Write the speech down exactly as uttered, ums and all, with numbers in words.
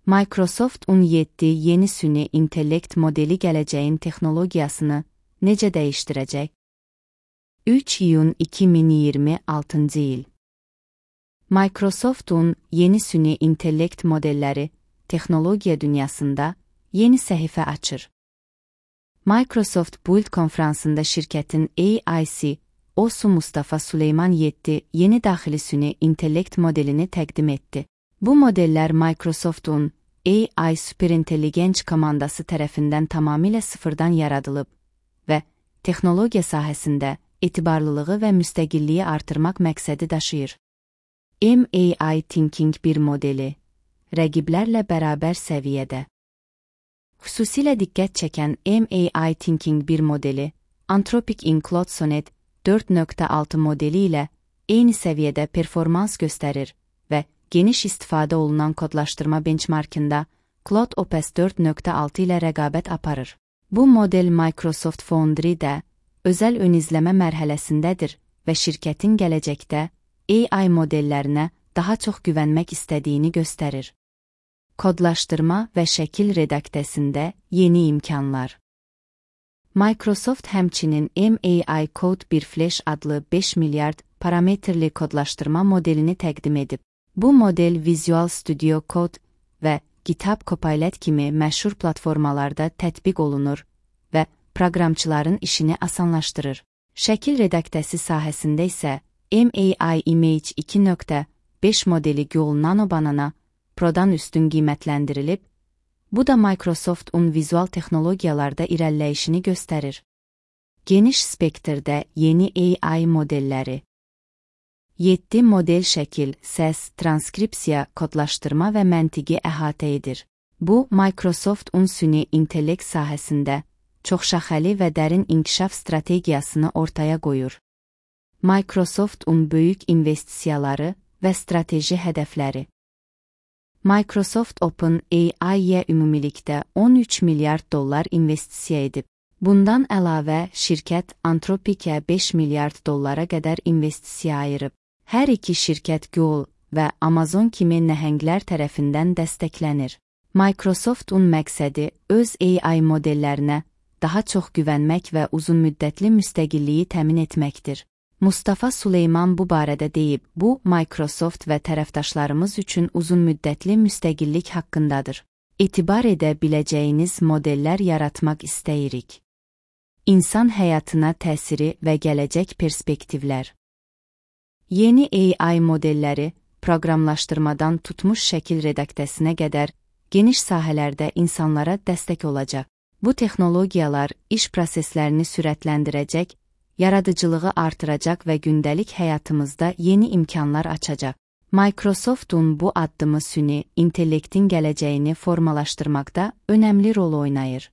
Microsoft on yeddi yeni süni intellekt modeli gələcəyin texnologiyasını necə dəyişdirəcək? üç iyun iki min iyirmi altıncı il. Microsoft'un yeni süni intellekt modelləri texnologiya dünyasında yeni səhifə açır. Microsoft Build konfransında şirkətin A I C E O Mustafa Süleyman yeddi yeni daxili süni intellekt modelini təqdim etdi. Bu modellər Microsoft'un A I Superintelligence komandası tərəfindən tamamilə sıfırdan yaradılıb və texnologiya sahəsində etibarlılığı və müstəqilliyi artırmaq məqsədi daşıyır. M A I Thinking bir modeli, rəqiblərlə bərabər səviyyədə. Xüsusilə diqqət çəkən M A I Thinking bir modeli, Anthropic Claude Sonnet dörd nöqtə altı modeli ilə eyni səviyyədə performans göstərir və geniş istifadə olunan kodlaşdırma benchmarkında Claude Opus dörd nöqtə altı ilə rəqabət aparır. Bu model Microsoft Foundry-də özəl ön izləmə mərhələsindədir və şirkətin gələcəkdə A I modellərinə daha çox güvənmək istədiyini göstərir. Kodlaşdırma və şəkil redaktəsində yeni imkanlar. Microsoft həmçinin M A I Code bir Flash adlı beş milyard parametrli kodlaşdırma modelini təqdim edib. Bu model Visual Studio Code və GitHub Copilot kimi məşhur platformalarda tətbiq olunur və proqramçıların işini asanlaşdırır. Şəkil redaktəsi sahəsində isə M A I Image iki nöqtə beş modeli Google Nano Banana Pro'dan üstün qiymətləndirilib, bu da Microsoft'un vizual texnologiyalarda irəliləyişini göstərir. Geniş spektrdə yeni A I modelləri. yeddi model şəkil, səs, transkripsiya, kodlaşdırma və məntiqi əhatə edir. Bu, Microsoft'un süni intellekt sahəsində çoxşaxəli və dərin inkişaf strategiyasını ortaya qoyur. Microsoft'un böyük investisiyaları və strateji hədəfləri. Microsoft Open A I-yə ümumilikdə on üç milyard dollar investisiya edib. Bundan əlavə, şirkət Anthropic'ə beş milyard dollara qədər investisiya ayırıb. Hər iki şirkət Google və Amazon kimi nəhənglər tərəfindən dəstəklənir. Microsoft'un məqsədi öz A I modellərinə daha çox güvənmək və uzunmüddətli müstəqilliyi təmin etməkdir. Mustafa Süleyman bu barədə deyib, bu, Microsoft və tərəfdaşlarımız üçün uzunmüddətli müstəqillik haqqındadır. Etibar edə biləcəyiniz modellər yaratmaq istəyirik. İnsan həyatına təsiri və gələcək perspektivlər. Yeni A I modelləri, proqramlaşdırmadan tutmuş şəkil redaktəsinə qədər, geniş sahələrdə insanlara dəstək olacaq. Bu texnologiyalar iş proseslərini sürətləndirəcək, yaradıcılığı artıracaq və gündəlik həyatımızda yeni imkanlar açacaq. Microsoft'un bu addımı süni intellektin gələcəyini formalaşdırmaqda önəmli rol oynayır.